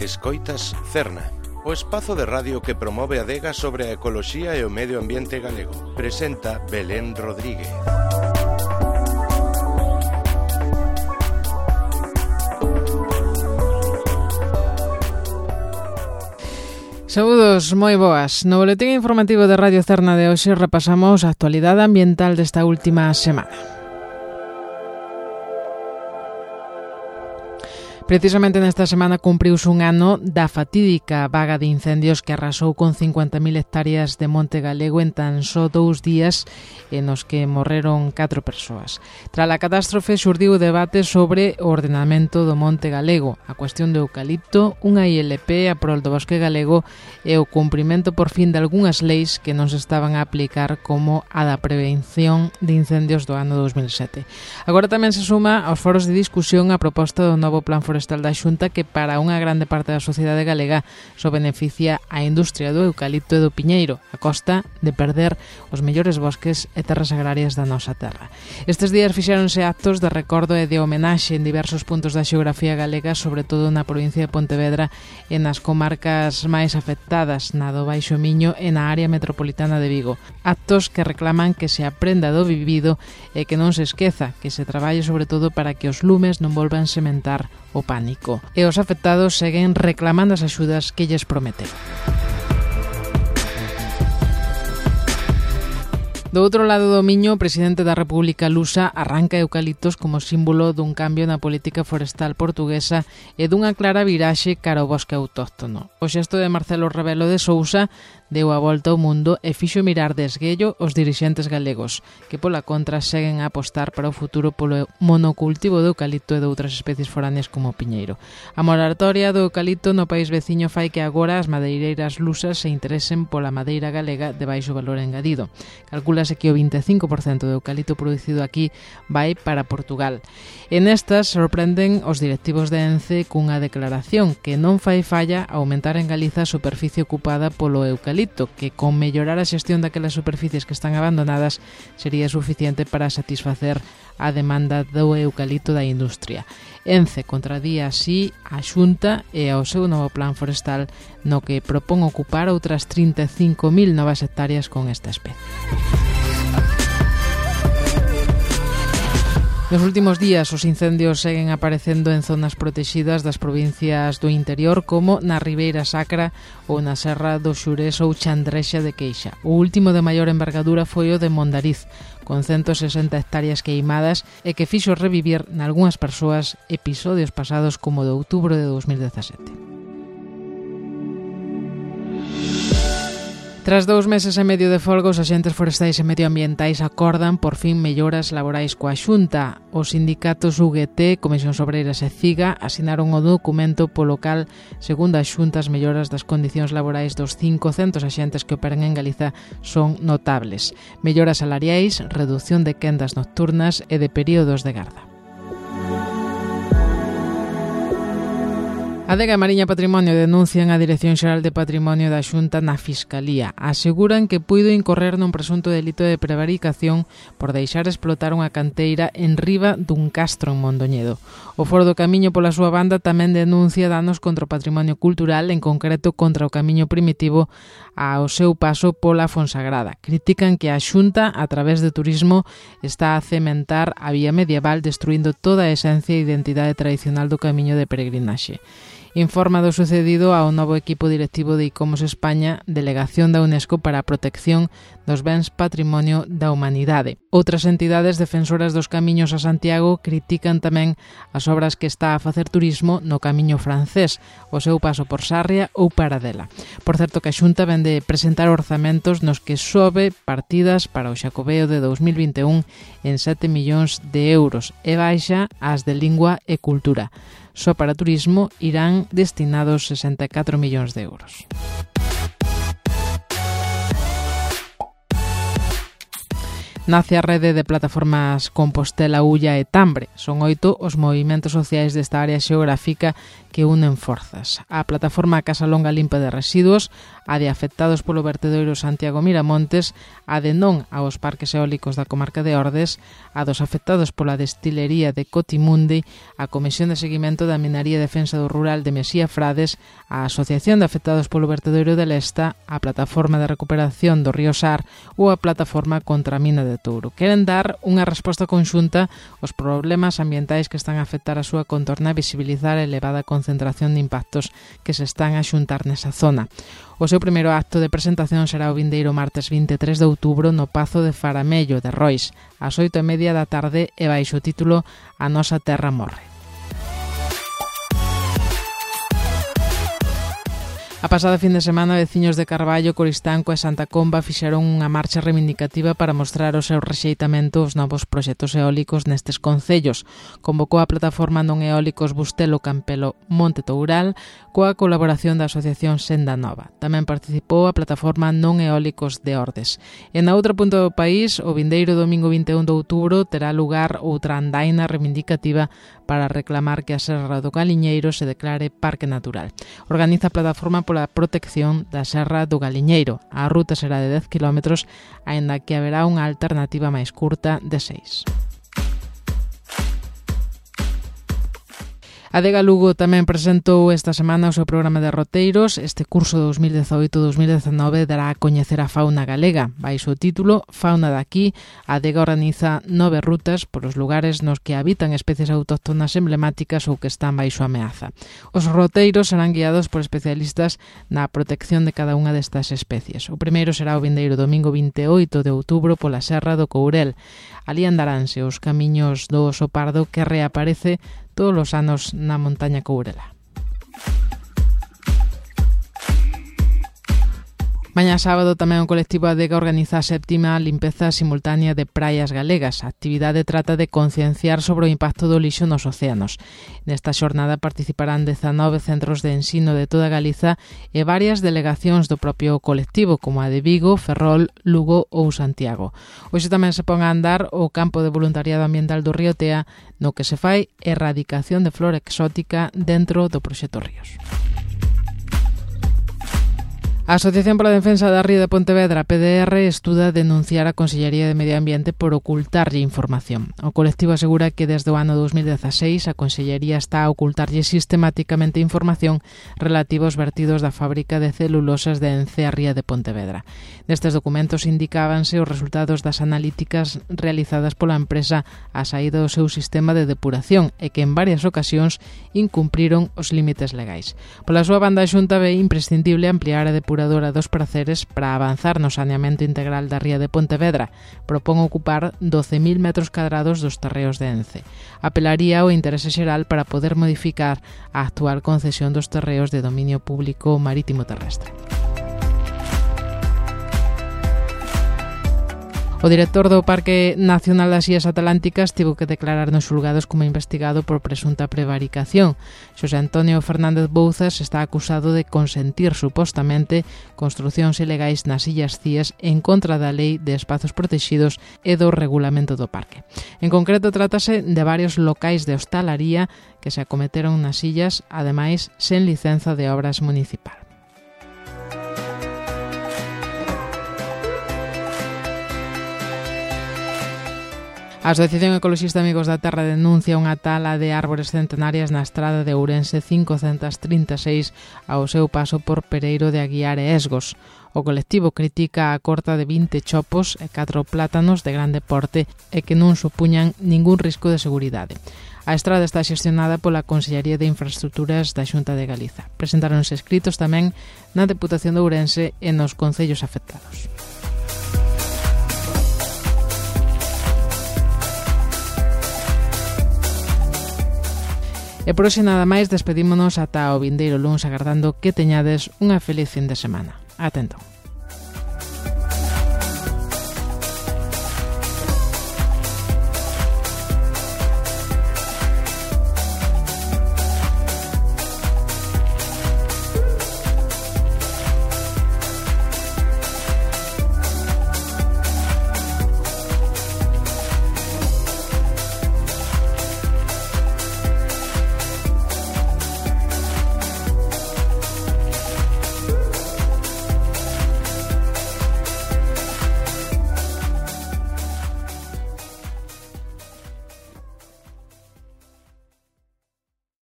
Escoitas Cerna, o espazo de radio que promove a adega sobre a ecoloxía e o medio ambiente galego. Presenta Belén Rodríguez. Saúdos, moi boas. No boletín informativo de Radio Cerna de hoxe repasamos a actualidade ambiental desta última semana. Precisamente nesta semana cumpriuse un ano da fatídica vaga de incendios que arrasou con 50.000 hectáreas de monte galego en tan só 2 días e nos que morreron 4 persoas. Tras a catástrofe xurdiu o debate sobre o ordenamento do monte galego, a cuestión do eucalipto, unha ILP a prol do bosque galego e o cumprimento por fin de algunhas leis que non se estaban a aplicar como a da prevención de incendios do ano 2007. Agora tamén se suma aos foros de discusión a proposta do novo plan forestal da Xunta que para unha grande parte da sociedade galega só beneficia a industria do eucalipto e do piñeiro a costa de perder os mellores bosques e terras agrarias da nosa terra. Estes días fixéronse actos de recordo e de homenaxe en diversos puntos da xeografía galega, sobre todo na provincia de Pontevedra e nas comarcas máis afectadas, na do Baixo Miño e na área metropolitana de Vigo. Actos que reclaman que se aprenda do vivido e que non se esqueza, que se traballe sobre todo para que os lumes non volvan sementar o pánico. E os afectados seguen reclamando as axudas que lles prometeron. Do outro lado do Miño, o presidente da República lusa arranca eucaliptos como símbolo dun cambio na política forestal portuguesa e dunha clara viraxe cara ao bosque autóctono. O xesto de Marcelo Rebelo de Sousa deu a volta ao mundo e fixo mirar de esguello os dirixentes galegos, que pola contra seguen a apostar para o futuro polo monocultivo do eucalipto e de outras especies foráneas como o piñeiro. A moratoria do eucalipto no país veciño fai que agora as madeireiras lusas se interesen pola madeira galega de baixo valor engadido. Calcúlase que o 25% do eucalipto producido aquí vai para Portugal. E nestas sorprenden os directivos de ENCE cunha declaración que non fai falla aumentar en Galiza a superficie ocupada polo eucalipto, que con mellorar a xestión daquelas superficies que están abandonadas sería suficiente para satisfacer a demanda do eucalipto da industria. ENCE contradía así a Xunta e ao seu novo plan forestal no que propón ocupar outras 35.000 novas hectáreas con esta especie. Nos últimos días os incendios seguen aparecendo en zonas protexidas das provincias do interior como na Ribeira Sacra ou na Serra do Xurés ou Chandrexa de Queixa. O último de maior envergadura foi o de Mondariz, con 160 hectáreas queimadas e que fixo revivir nalgúnas persoas episodios pasados como o de outubro de 2017. Tras 2 meses e medio de folga, os axentes forestais e medioambientais acordan por fin melloras laborais coa Xunta. Os sindicatos UGT, Comisións Obreiras e CIGA asinaron o documento polo cal, segundo a Xunta, as melloras das condicións laborais dos 500 axentes que operan en Galiza son notables. Melloras salariais, reducción de quendas nocturnas e de períodos de garda. Adega e Mariña Patrimonio denuncian a Dirección Xeral de Patrimonio da Xunta na Fiscalía. Aseguran que puido incorrer nun presunto delito de prevaricación por deixar explotar unha canteira en riba dun castro en Mondoñedo. O Foro do Camiño, pola súa banda, tamén denuncia danos contra o patrimonio cultural, en concreto contra o Camiño Primitivo ao seu paso pola Fonsagrada. Critican que a Xunta, a través de turismo, está a cementar a vía medieval, destruindo toda a esencia e identidade tradicional do camiño de peregrinaxe. Informa do sucedido ao novo equipo directivo de ICOMOS España, delegación da UNESCO para a protección dos bens patrimonio da humanidade. Outras entidades defensoras dos camiños a Santiago critican tamén as obras que está a facer turismo no camiño francés, o seu paso por Sarria ou Paradela. Por certo que a Xunta vende presentar orzamentos nos que sobe partidas para o Xacobeo de 2021 en 7 millóns de euros e baixa as de lingua e cultura. Só para turismo irán destinados 64 millóns de euros. Nace a rede de plataformas Compostela, Ulla e Tambre. Son 8 os movimentos sociais desta área xeográfica que unen forzas. A plataforma Casa Longa Limpa de Residuos, a de afectados polo vertedoiro Santiago Miramontes, a de non aos parques eólicos da comarca de Ordes, a dos afectados pola destilería de Cotimundi, a Comisión de Seguimento da Minería e Defensa do Rural de Mesía Frades, a Asociación de Afectados polo vertedoiro de Lesta, a Plataforma de Recuperación do Río Sar ou a Plataforma contra a Mina de Touro. Queren dar unha resposta conxunta aos problemas ambientais que están a afectar a súa contorna e visibilizar a elevada concentración de impactos que se están a xuntar nesa zona. O seu primeiro acto de presentación será o vindeiro martes 23 de outubro no Pazo de Faramello de Rois, ás 8:30 da tarde e baixo o título A nosa terra morre. A pasada fin de semana, veciños de Carballo, Coristanco e Santa Comba fixeron unha marcha reivindicativa para mostrar o seu rexeitamento aos novos proxectos eólicos nestes concellos. Convocou a plataforma non eólicos Bustelo Campelo Monte Toural coa colaboración da Asociación Senda Nova. Tamén participou a plataforma non eólicos de Ordes. E na outra punta do país, o vindeiro domingo 21 de outubro terá lugar outra andaina reivindicativa para reclamar que a Serra do Galiñeiro se declare Parque Natural. Organiza a plataforma pola protección da Serra do Galiñeiro. A ruta será de 10 km, aínda que haberá unha alternativa máis curta de 6. A Adega Lugo tamén presentou esta semana o seu programa de roteiros. Este curso 2018-2019 dará a coñecer a fauna galega. Baixo o título Fauna daqui, a Adega organiza 9 rutas polos lugares nos que habitan especies autóctonas emblemáticas ou que están baixo ameaza. Os roteiros serán guiados por especialistas na protección de cada unha destas especies. O primeiro será o vindeiro domingo 28 de outubro pola Serra do Courel. Alí andaránse os camiños do oso pardo que reaparece todos os anos na montaña Courela. Mañá sábado tamén o colectivo Adega organiza a 7ª limpeza simultánea de praias galegas. A actividade trata de concienciar sobre o impacto do lixo nos océanos. Nesta xornada participarán 19 centros de ensino de toda Galiza e varias delegacións do propio colectivo, como a de Vigo, Ferrol, Lugo ou Santiago. Hoxe tamén se pon a andar o campo de voluntariado ambiental do Río Tea, no que se fai erradicación de flora exótica dentro do proxecto Ríos. A Asociación pola Defensa da Ría de Pontevedra, PDR, estuda denunciar a Consellería de Medio Ambiente por ocultarlle información. O colectivo asegura que desde o ano 2016 a Consellería está a ocultarlle sistemáticamente información relativa aos vertidos da fábrica de celulosas de Ence a Ría de Pontevedra. Nestes documentos indicábanse os resultados das analíticas realizadas pola empresa a saída do seu sistema de depuración e que en varias ocasións incumpriron os límites legais. Pola súa banda, a Xunta ve imprescindible ampliar a depuración dos Praceres para avanzar no saneamento integral da Ría de Pontevedra. Propón ocupar 12.000 metros cadrados dos terreos de Ence. Apelaría ao interese xeral para poder modificar a actual concesión dos terreos de dominio público marítimo terrestre. O director do Parque Nacional das Illas Atlánticas tivo que declarar nos xulgados como investigado por presunta prevaricación. Xosé Antonio Fernández Bouzas está acusado de consentir supostamente construcións ilegais nas Illas Cíes en contra da Lei de Espazos Protegidos e do regulamento do parque. En concreto, trátase de varios locais de hostalaría que se acometeron nas illas, ademais sen licenza de obras municipal. A Asociación Ecoloxista Amigos da Terra denuncia unha tala de árbores centenarias na estrada de Ourense 536 ao seu paso por Pereiro de Aguiar e Esgos. O colectivo critica a corta de 20 chopos e 4 plátanos de grande porte e que non supuñan ningún risco de seguridade. A estrada está xestionada pola Consellería de Infraestructuras da Xunta de Galiza. Presentáronse escritos tamén na Deputación de Ourense e nos concellos afectados. E por hoxe nada máis, despedímonos ata o vindeiro luns agardando que teñades unha feliz fin de semana. Ata entón.